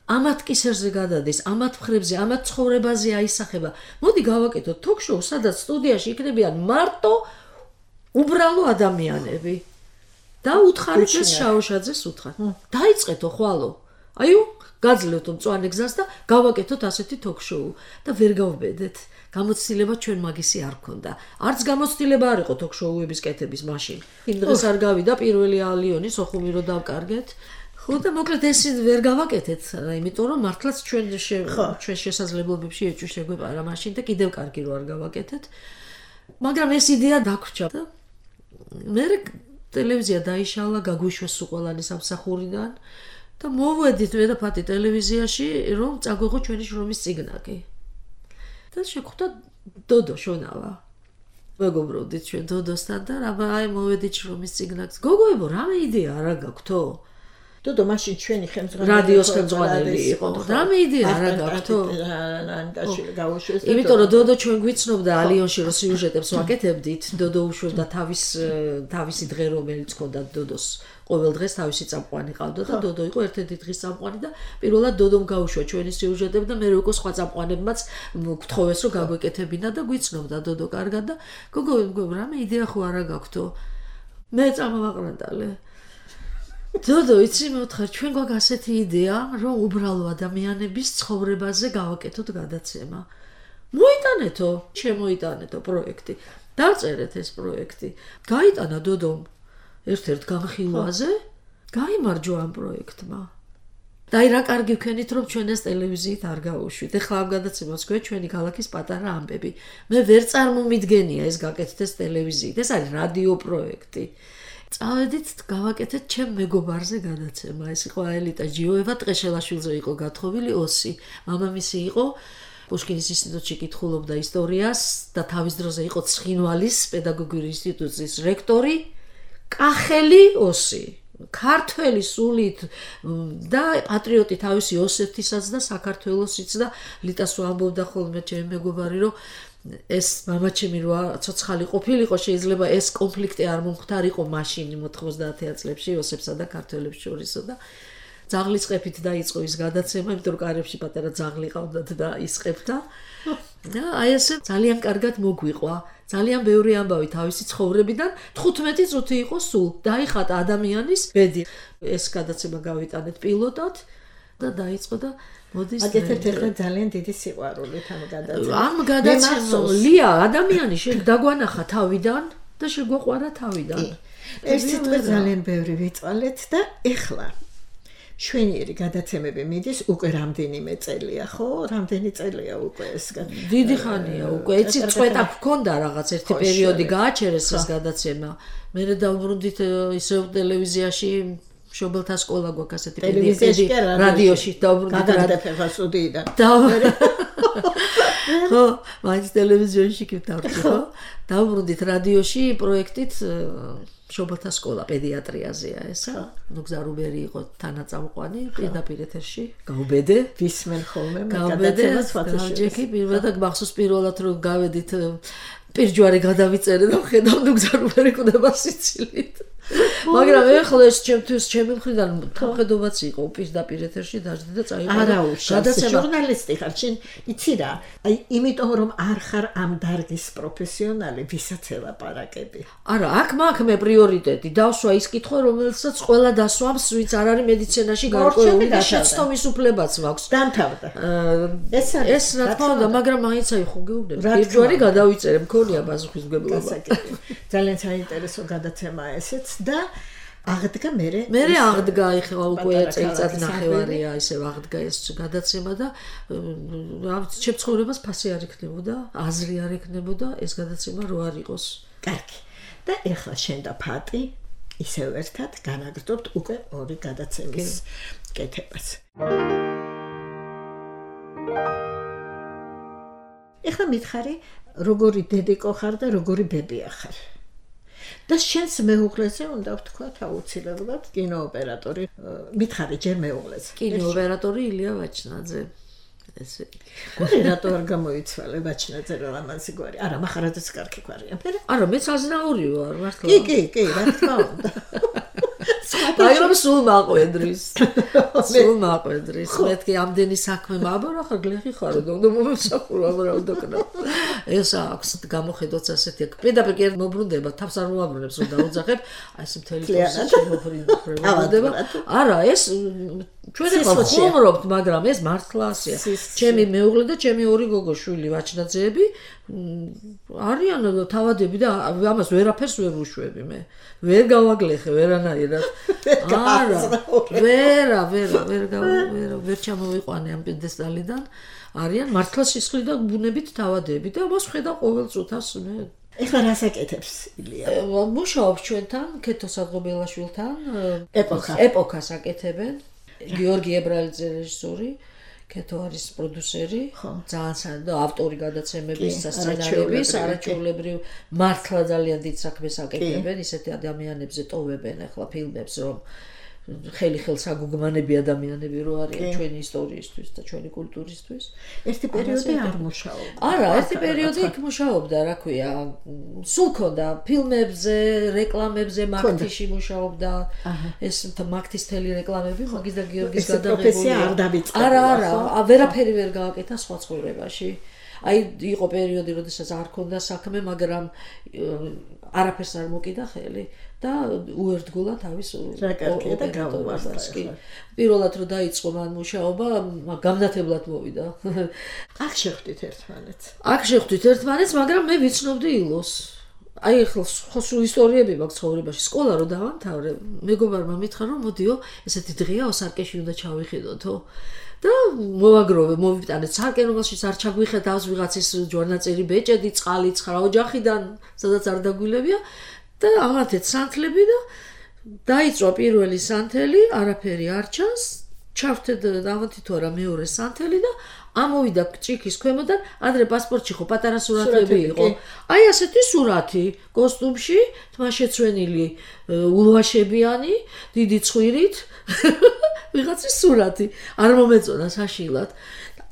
B: ამათ კისერზე გადადის, ამათ მხრებზე, ამათ ცხოვრებაზე აისახება. მოდი გავაკეთოთ ток-შოუ, სადაც სტუდიაში იქნებიან მარტო უბრალო ადამიანები. და უთხარით ეს შაოშაძეს უთხარ. დაიწყეთო ხვალო. აიუ, გაძლევთ მწვანე გზას და გავაკეთოთ ასეთი ток-შოუ და ვერ გავბედეთ. გამოცდილება ჩვენ მაგისი არ ქონდა. არც გამოცდილება არ იყო ток-შოუების კეთების მაშინ. იმ დღეს არ გავიდა პირველი ალიონი სოხუმი რო დავკარგეთ. ხო და მოკლედ ეს ვერ გავაკეთეთ, იმიტომ რომ მართლაც ჩვენ შესაძლებლობებში ეჭვი შეგვეპარა მაშინ და კიდევ კარგი რო არ გავაკეთეთ. მაგრამ ეს იდეა დაგვრჩა და მე ტელევიზია დაიშალა, გაგვიშვეს უყოლანი სამსახურიდან და მოვედით მე და ფათი ტელევიზიაში, რომ წაგვეღო ჩვენი შრომის წიგნაკი. და შეხვდა დოდო შონავა. მეგობრობდით ჩვენ დოდოსთან და აი მოვედით შრომის წიგნაკს. გოგოებო, რამე იდეა არა გაქვთო?
C: დოდო მაშინ ჩვენი ხელმძღვანელი
B: რადიოს ხელმძღვანელი იყო. რამე იდეა არა გაქვთო? იმიტომ რომ დოდო ჩვენ გვიცნობდა ალიონში რო სიუჟეტებს ვაკეთებდით, დოდო უშვებდა თავისი დღე რომელიც ჰქონდა დოდოს. ყოველ დღეს თავისი წამყვანი ყავდა და დოდო იყო ერთ-ერთი დღის წამყვანი და პირველად დოდომ გაუშვა ჩვენი სიუჟეტები და მე უკვე სხვა წამყვანებმაც გთხოვეს რომ გაგვეკეთებინა და გვიცნობდა დოდო კარგად და გოგო რამე იდეა ხო არა გაქვთო? მე წამოვაყრანდალე. დოდო იცი მოთხარ ჩვენ გვაქვს ასეთი იდეა რომ უბრალო ადამიანების ცხოვრებაზე გავაკეთოთ გადაცემა. მოიტანეთო, შემოიტანეთო პროექტი. დავწერეთ ეს პროექტი. გაიტანა დოდომ ერთ-ერთ განხილვაზე, გაიმარჯვა ამ პროექტმა. და აი რა კარგი ვქენით რომ ჩვენ ეს ტელევიზიით არ გავუშვით. ეხლა ამ გადაცემას გვე ჩვენი ქალაქის პატარა ამბები. მე ვერ წარმომიდგენია ეს გაკეთდეს ტელევიზიით. ეს არის რადიო პროექტი. წავედით გავაკეთეთ ჩემ მეგობარზე გადაცემა. ეს იყო აელიტა ჯიოევა, ტყეშელაშვილზე იყო გათხოვილი ოსი. მამამისი იყო პუშკინის ინსტიტუტში კითხულობდა ისტორიას და თავის დროზე იყო ცხინვალის პედაგოგიური ინსტიტუტის რექტორი. კახელი ოსი, ქართველი სულით და პატრიოტი თავისი ოსეთის და საქართველოსიც და ლიტას ამბობდა ხოლმე ჩემი მეგობარი რომ ეს მამაჩემი რო ცოცხალი ყოფილიყო შეიძლება ეს კონფლიქტი არ მომხდარიყო მაშინ 90-იან წლებში ოსებსა და ქართველებს შორისო და ძაღლის ყეფით დაიწყო ის გადაცემა, იმიტომ რომ კარებში პატარა ძაღლი ყავდათ და ისყებდა. და აი ესე ძალიან კარგად მოგვიყვა. ძალიან ბევრი ამბავი თავისი ცხოვრებიდან 15 წუთი იყო სულ. დაიხატა ადამიანის ბედი. ეს გადაცემა გავიტანეთ პილოტად და დაიწყო და მოდის
C: აგეთეთ ახლა ძალიან დიდი სიყვარულით ამ გადაცემას.
B: ამ გადაცემას ლია ადამიანი დაგვანახა თავიდან და შეგვაყვარა თავიდან.
C: ეს სიტყვა ძალიან ბევრი ვიწვალეთ და ეხლა შვენიერი გადაცემები მიდის უკვე რამდენიმე წელია, ხო? რამდენი წელია უკვე ეს გადაცემა?
B: დიდი ხანია უკვე. იცი წვეტა გქონდა რაღაც ერთი პერიოდი გააჩერეს ეს გადაცემა. მე დავბრუნდით ისევ ტელევიზიაში შობელთა სკოლა გვაქვს ასეთი
C: ტელევიზიაში
B: რადიოში დავბრუნდით
C: გადაგდაფება სტუდიიდან.
B: ხო, მაინც ტელევიზიაში კი დავბრუნდი, ხო? დავბრუნდით რადიოში პროექტით შობელთა სკოლა პედიატრიაზეა ესა. ნუ გზარუბერი იყო თანაწამყვანი პირდაპირ ეთერში. გავბედე,
C: ვისმენ ხოლმე გადაცემას
B: ფათაშექი პირველად მახსოვს პირველად რომ გავედით პირჯვარი გადავიწერე და ხედავ ნუ გზარუბერი კვდება სიცილით. მაგრამ ეხლა ეს ჩემთვის ჩემი მხრიდან თანხმდობაც იყო პირდაპირ ეთერში დაждდი და წაიღო.
C: არა უშავ ჟურნალისტი ხარ შენ იცი რა აი იმიტომ რომ არ ხარ ამ დარგის პროფესიონალი ვისაც ელაპარაკები.
B: არა აქ მაქვს მე პრიორიტეტი დავსვა ის კითხვა რომელსაც ყველა დასვამს ვინც არ არის მედიცინაში გარკვეული და შეცდომის უფლებაც მაქვს.
C: დამთავრდა.
B: ეს რა თქმა უნდა მაგრამ მაინც აი ხო გეუბნები პირჯვარი გადავიწერე მქონია პასუხისმგებლობა.
C: ძალიან საინტერესო გადაცემაა ესეც და აღდგა მე
B: აღდგა ეხლა უკვე წელიწად ნახევარია ისევ აღდგა ეს გადაცემა და ჩემ ცხოვრებას ფასი არ იქნებოდა, აზრი არ იქნებოდა ეს გადაცემა რო არ იყოს.
C: კარგი. და ეხლა შენ და ფატი ისევ ერთად განაგრძობთ უკვე ორი გადაცემის კეთებას. ეხლა მითხარი როგორი დედიკო ხარ და როგორი ბებია ხარ. და შენს მეუღლეზე უნდა ვთქვათ აუცილებლად კინოოპერატორი. მითხარი ჯერ მეუღლეზე.
B: კინოოპერატორი ილია ვაჩნაძე. ესე.
C: გული რატო არ გამოიცვალე ვაჩნაძე რა ამაზე გვარი? არა, მახარაძეც კარგი გვარია.
B: არა, მეც აზნაური ვარ, მართლა.
C: კი, რა თქმა უნდა.
B: მაგრამ სულ მაყვედრის. მეთქი ამდენი საქმე მაბარა ხარ გლეხი ხარ და მომსახურა ბრალდოკნა. ეს აქვს გამოხედოთ ასეთი პირდაპირ კი მობრუნდება თავს არ მოაბრუნებს რომ დაუძახებ აი ეს მთელი პროცესი შემოფრინდება. არა ეს ჩვენ ახლა ხუმრობთ მაგრამ ეს მართლა ასეა. ჩემი მეუღლე და ჩემი ორი გოგოშვილი ვაჩნაძეები არიან თავადები და ამას ვერაფერს ვერ ვუშვები მე. ვერ გავაგლეხე ვერანაირად. არა. ვერ ჩამოვიყვანე ამ პედესტალიდან. არიან მართლა სისხლი და ბუნებით თავადები და ამას ხედავ ყოველ წუთას მე.
C: ეხლა რას აკეთებს ილია?
B: მუშაობს ჩვენთან ქეთო სადღობელაშვილთან ეპოქას აკეთებენ. გიორგი ებრალიძე რეჟისორი, ქეთო არის პროდიუსერი, ძალიან და ავტორი გადაცემების, სცენარების, არაჩვეულებრივ მართლა ძალიან დიდ საქმეს აკეთებენ, ისეთი ადამიანებზე ტოვებენ ახლა ფილმებს, რომ ხელი ხელს აგუგმანები ადამიანები რო არიან ჩვენი ისტორიისთვის და ჩვენი კულტურისთვის.
C: ერთი პერიოდი არ მუშაობდა.
B: არა, ერთი პერიოდი იქ მუშაობდა, რა ქვია, სულ ქონდა ფილმებზე, რეკლამებზე, მაქთიში მუშაობდა. ეს მაქთის თელი რეკლამები მაგის და გიორგის გადაღებულია.
C: არ დავიწყდა.
B: არა, ვერაფერი ვერ გააკეთა სხვა ცხოვრებაში. აი იყო პერიოდი, როდესაც არ ქონდა საქმე, მაგრამ არაფერს არ მოკიდა ხელი. და უერთგულა თავის
C: რა კარგია და გავუვარდა.
B: პირველად რომ დაიწყო მან მუშაობა, გამნათებლად მოვიდა.
C: აქ შეხვდით ერთმანეთს,
B: მაგრამ მე ვიცნობდი ილოს. აი ახლა სხვა ისტორიები მაქვს ცხოვრებაში. სკოლა რო დავამთავრე, მეგობარმა მითხრა რომ მოდიო, ესეთი დღეა ოსარკეში უნდა ჩავიხედოთო. და მოვაგროვე, მოვიტანეთ სარკე, რომელშიც არ ჩაგვიხედავს ვიღაცის ჯვარნაწერი ბეჭედი, წყალი, ცხრა ოჯახიდან, სადაც არ დაგვილებია. და ამათეთ სანთლები და დაიწვა პირველი სანთელი, არაფერი არ ჩანს, ჩავთედ დავათი თუ არა მეორე სანთელი და ამოვიდა ჭიქის ქვემოდან, ადრე პასპორტში ხო პატარა სურათები იყო. აი ასეთი სურათი, კოსტუმში, თმაშეცვენილი, ულვაშებიანი, დიდი ცხვირით, ვიღაცის სურათი, არ მომეწონა საშილად.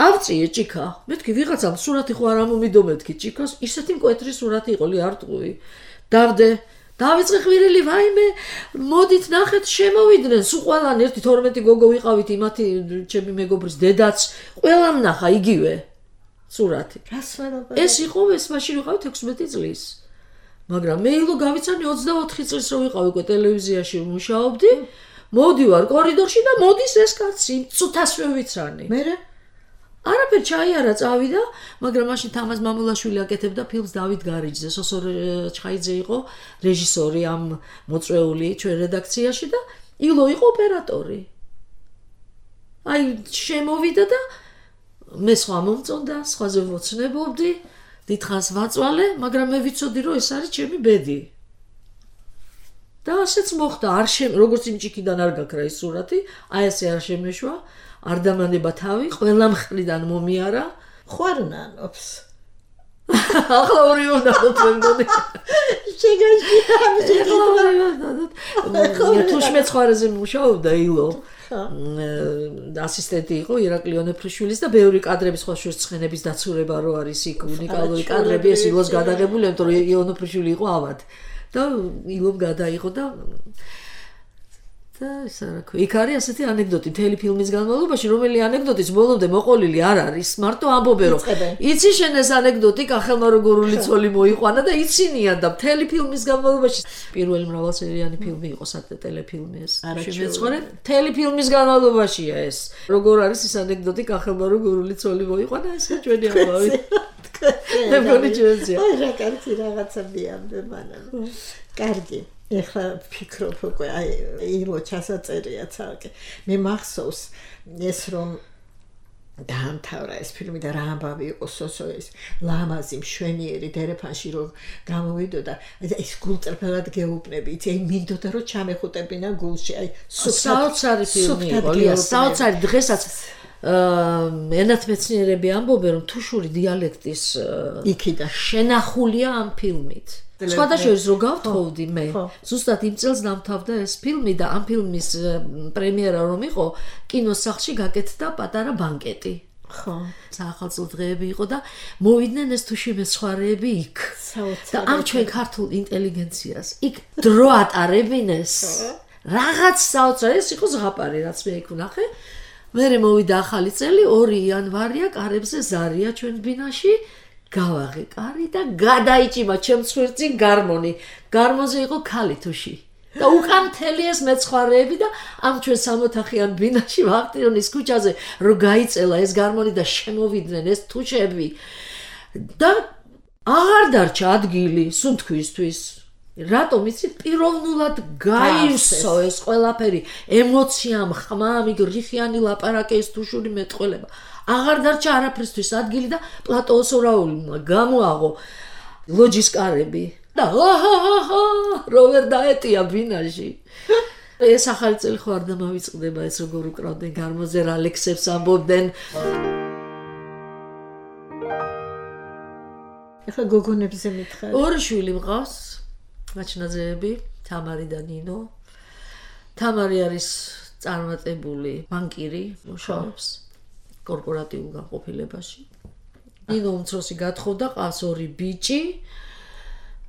B: ავწიე ჭიქა, მეთქი ვიღაცამ სურათი ხო არ ამომიდო მეთქი ჭიქას, ისეთი მკვეთრი სურათი იყო არტყუი. დავდე დავიწყე ხვირილი ვაიმე მოდით ნახეთ შემოვიდნენ სულ ყველანი 1-12 გოგო ვიყავით იმათი ჩემი მეგობრის დედაც ყველამ ნახა იგივე სურათი
C: რას ვარობა
B: ეს იყო ეს მაშინ ვიყავით 16 წლის მაგრამ მე ილო გავიცანი 24 წლის რო ვიყავ უკვე ტელევიზიაში მუშაობდი მოდივარ კორიდორში და მოდის ეს კაცი წუთასვე ვიცანი
C: მერე
B: არაფერ ჩაიარა წავიდა, მაგრამ მაშინ თამაზ მამულაშვილი აკეთებდა ფილმს დავით გარიჯზე. სოსორ ჩხაიძე იყო რეჟისორი ამ მოწვეული ჩვენ რედაქციაში და ილო იყო ოპერატორი. აი შემოვიდა და მე სხვა მომწონდა, სხვაზე ვოცნებობდი, დიდხანს ვაწვალე, მაგრამ მე ვიცოდი რომ ეს არის ჩემი ბედი. და ასეც მოხდა, როგორც იმ ჭიქიდან არ გაქრა ის სურათი, აი ესე არ შემეშვა. არ დამანება თავი, ყველა მხრიდან მომიარა,
C: ხვარნანობს.
B: ახლა ორი უნდა დათმობდი. შეგაჭირა, თუშმეც ხარაზე მუშაობდა ილო. ასისტენტი იყო ირაკლი ონეფრიშვილის და ბევრი კადრების სხვა შერწყენების დაცურება რო არის იქ უნიკალური კადრები ეს ილოს გადაღებული, იმიტომ რომ ონეფრიშვილი იყო ავად. და ილომ გადაიღო და ეს რა ქვია, იქ არის ასეთი ანეკდოტი მთელი ფილმის განმავლობაში, რომელი ანეკდოტის ბოლომდე მოყოლილი არ არის, მარტო ამბობენ რომ იცი შენ ეს ანეკდოტი კახელმა როგორული ცოლი მოიყვანა და იცინიან და მთელი ფილმის განმავლობაში პირველი მრავალსერიანი ფილმი იყო სატელეფილმი ეს. შემეცხოვრე, მთელი ფილმის განმავლობაშია ეს. როგორ არის ეს ანეკდოტი კახელმა როგორული ცოლი მოიყვანა, ეს ჩვენი ამბავი. მე მგონი ჩვენია.
C: აი რა კარგი რაღაცა მიამდე მანამ. კარგი. ეხლა ფიქრობ უკვე აი ილო ჩასაწერია ცალკე მე მახსოვს ეს რომ დაამთავრა ეს ფილმი და რა ამბავი იყო სოსოის ლამაზი მშვენიერი დერეფანში რომ გამოვიდო და ეს გულწრფელად გეუბნები იცი აი მინდოდა რომ ჩამეხუტებინა გულში აი
B: საოცარი ფილმი იყო ლია საოცარი დღესაც ენათმეცნიერები ამბობენ რომ თუშური დიალექტის
C: იქიდან
B: შენახულია ამ ფილმით სხვადასხვა რო გავთხოვდი მე ზუსტად იმ წელს დამთავრდა ეს ფილმი და ამ ფილმის პრემიერა რომ იყო კინოსახლში გაკეთდა პატარა ბანკეტი
C: ხო
B: საახალწლო დღეები იყო და მოვიდნენ ეს თუში მეცხვარეები იქ და ამ ჩვენ ქართულ ინტელიგენციას იქ დრო ატარებინეს რაღაც საოცარი ეს იყო ზღაპარი რაც მე იქ ვნახე მე მოვიდა ახალი წელი 2 იანვარია კარებზე ზარია ჩვენ ბინაში გავაღე კარი და გადაიჭიმა ჩემს ხვირწინ გარმონი გარმონზე იყო ქალითუში და უკან მთელი ეს მეცხვარეები და ამ ჩვენ 60-ხიან ბინაში ვახტიონის ქუჩაზე რო გაიწელა ეს გარმონი და შემოვიდნენ ეს თუშები და აღარ დარჩა ადგილი სუნთქვისთვის რატომ იცით პიროვნულად გაივსო ეს ყველაფერი ემოციამ ხმამ იქ რიხიანი ლაპარაკი ეს თუშური მეტყველება აღარ დარჩა არაფრისთვის ადგილი და პლატოოს ორაულმა გამოაღო ლოჯის კარები და რო ვერ დაეტია ბინაში ეს ახალი წელი ხო არ დამავიწყდება ეს როგორ უკრავდნენ გარმონზე რა ლექსებს ამბობდნენ
C: ეხლა გოგონებზე მითხარი
B: 2 შვილი მყავს მაჩნაძეები თამარი და ნინო თამარი არის წარმატებული ბანკირი მუშაობს კორპორატიულ განყოფილებაში ნინო უმცროსი გათხოვდა ყავს 2 ბიჭი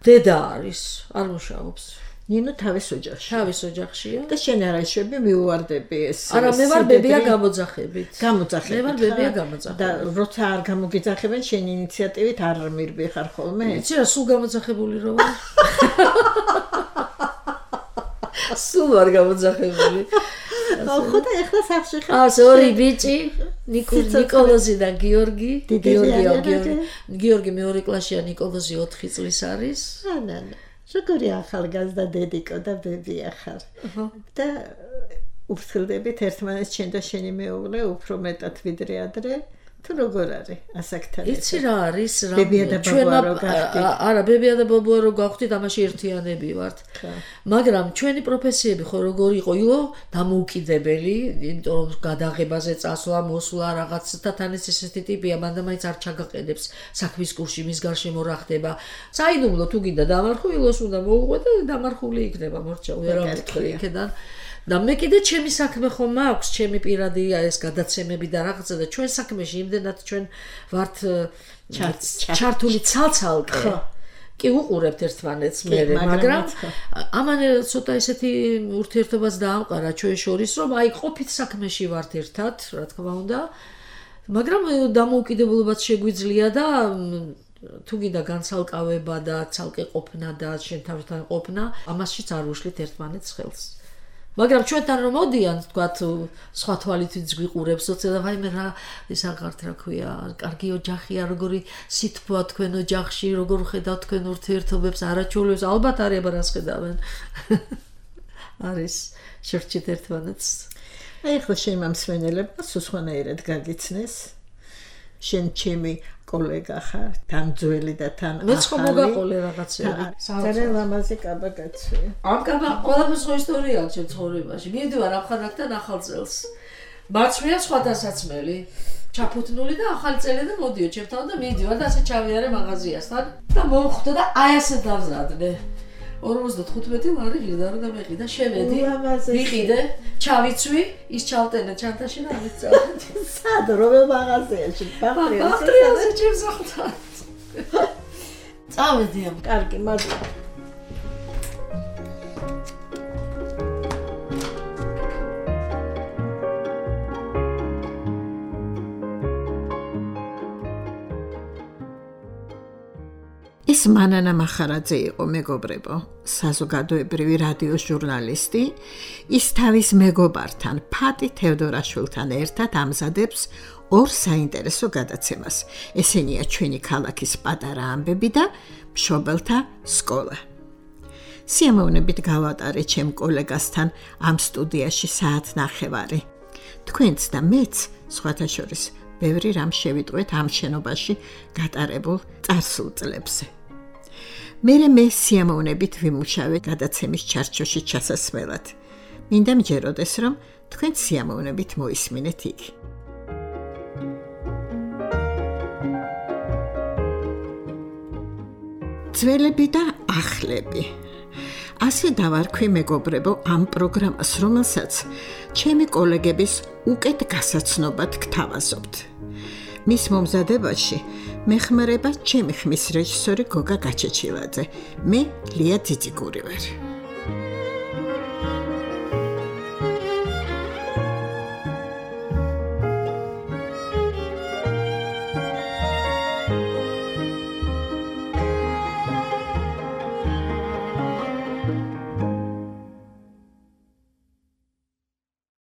B: დედა არის არ მუშაობს
C: ნინო თავის ოჯახშია
B: და
C: შენ არაშვები მიუვარდები ეს
B: არა მე ვარ ბებია გამოძახებით
C: მე
B: ვარ ბებია გამოძახებით
C: და როცა არ გამოგიძახებენ შენ ინიციატივით არ მირბი ხარ ხოლმე
B: იცი რა სულ გამოძახებული რო ვარ სულ არ გამოძახებული
C: ხო და ეხლა სახში ხარ
B: ას 2 ბიჭი ნიკოლოზი და გიორგი გიორგი მეორე კლასშია ნიკოლოზი 4 წლის არის
C: ანა როგორი ახალგაზრდა დედიკო და ბებია ხარ და უფრთხილდებით ერთმანეთს შენ და შენი მეუღლე უფრო მეტად ვიდრე ადრე თუ როგორ არის ასაკთან
B: იცი რა არის რა
C: ბებია და ბაბუა რო გახდით
B: არა ბებია და ბაბუა რო გავხდით ამაში ერთიანები ვართ მაგრამ ჩვენი პროფესიები ხო როგორ იყო დამოუკიდებელი იმიტომ რომ გადაღებაზე წასვლა მოსვლა რაღაცა თან ესეთი ტიპია მანდა მაინც არ ჩაგაყენებს საქმის კურსში მის გარშემო რა ხდება საიდუმლო თუ გინდა დამარხო ილოს უნდა მოუყვე და დამარხული იქნება მორჩა ვერ ამეთქრი იქიდან და მე კიდე ჩემი საქმე ხომ მაქვს ჩემი პირადია ეს გადაცემები და რაღაცა და ჩვენ საქმეში იმდენად ჩვენ ვართ ჩართული ცალცალკე კი უყურებთ ერთმანეთს მე მაგრამ ამან ცოტა ესეთი ურთიერთობაც დაამყარა ჩვენ შორის რომ აი ყოფით საქმეში ვართ ერთად რა თქმა უნდა მაგრამ დამოუკიდებლობაც შეგვიძლია და თუ გინდა განცალკავება და ცალკე ყოფნა და შენ თავთან ყოფნა ამაშიც არ უშლით ერთმანეთს ხელს მაგრამ ჩვენთან რომ მოდიან თქვათ სხვა თვალითაც გვიყურებს უცებ აი მე რა ის აღართ რა ქვია კარგი ოჯახია როგორი სითბოა თქვენ ოჯახში როგორ ხედავთ თქვენ ურთიერთობებს არაჩვეულებებს ალბათ არის აბა რას ხედავენ არის შევჭით ერთმანეთს
C: აი ხო შენ მომსვენელებმა სხვანაირად გაგიცნეს შენ ჩემი კოლეგა ხარ თან ძველი და თან ახალი
B: მეც ხომ მოგაყოლე რაღაცები
C: ძალიან ლამაზი კაბა გაცვია
B: ამ კაბა ყველაფერს ხო ისტორია აქვს ჩემ ცხოვრებაში მივდივარ ამხანაგთან ახალ წელს მარცვლია სხვადასაცმელი ჩაფუთნული და ახალი წელი და მოდიო ჩემთან და მივდივარ და ასე ჩავიარე მაღაზიასთან და მომხვდა და აი ასე დავზადნე 55 ლარი ღირდა რომ დამეყიდა შევედი ვიყიდე ჩავიცვი ის ჩავტენე ჩანთაში და ამიწავდი
C: სად რომელ მაღაზიაში
B: ბახტრიაზე ჩემს ახლა წავედი ამ
C: კარგი მადლობა ეს მანანა მახარაძე იყო მეგობრებო, საზოგადოებრივი რადიოს ჟურნალისტი, ის თავის მეგობართან, ფატი თევდორაშვილთან ერთად ამზადებს 2 საინტერესო გადაცემას. ესენია ჩვენი ქალაქის პატარა ამბები და მშობელთა სკოლა. სიამოვნებით გავატარე ჩემ კოლეგასთან ამ სტუდიაში საათნახევარი. თქვენც და მეც სხვათა შორის ბევრი რამ შევიტყვეთ ამ შენობაში გატარებულ წარსულ წლებზე. მე სიამოვნებით ვიმუშავე გადაცემის ჩარჩოში ჩასასვლელად. მინდა მჯეროდეს, რომ თქვენ სიამოვნებით მოისმინეთ იგი. ძველები და ახლები. ასე დავარქვი მეგობრებო ამ პროგრამას, რომელსაც ჩემი კოლეგების უკეთ გასაცნობად გთავაზობთ. მის მომზადებაში მეხმარება ჩემი ხმის რეჟისორი გოგა გაჩეჩილაძე. მე ლია ძიძიგური ვარ.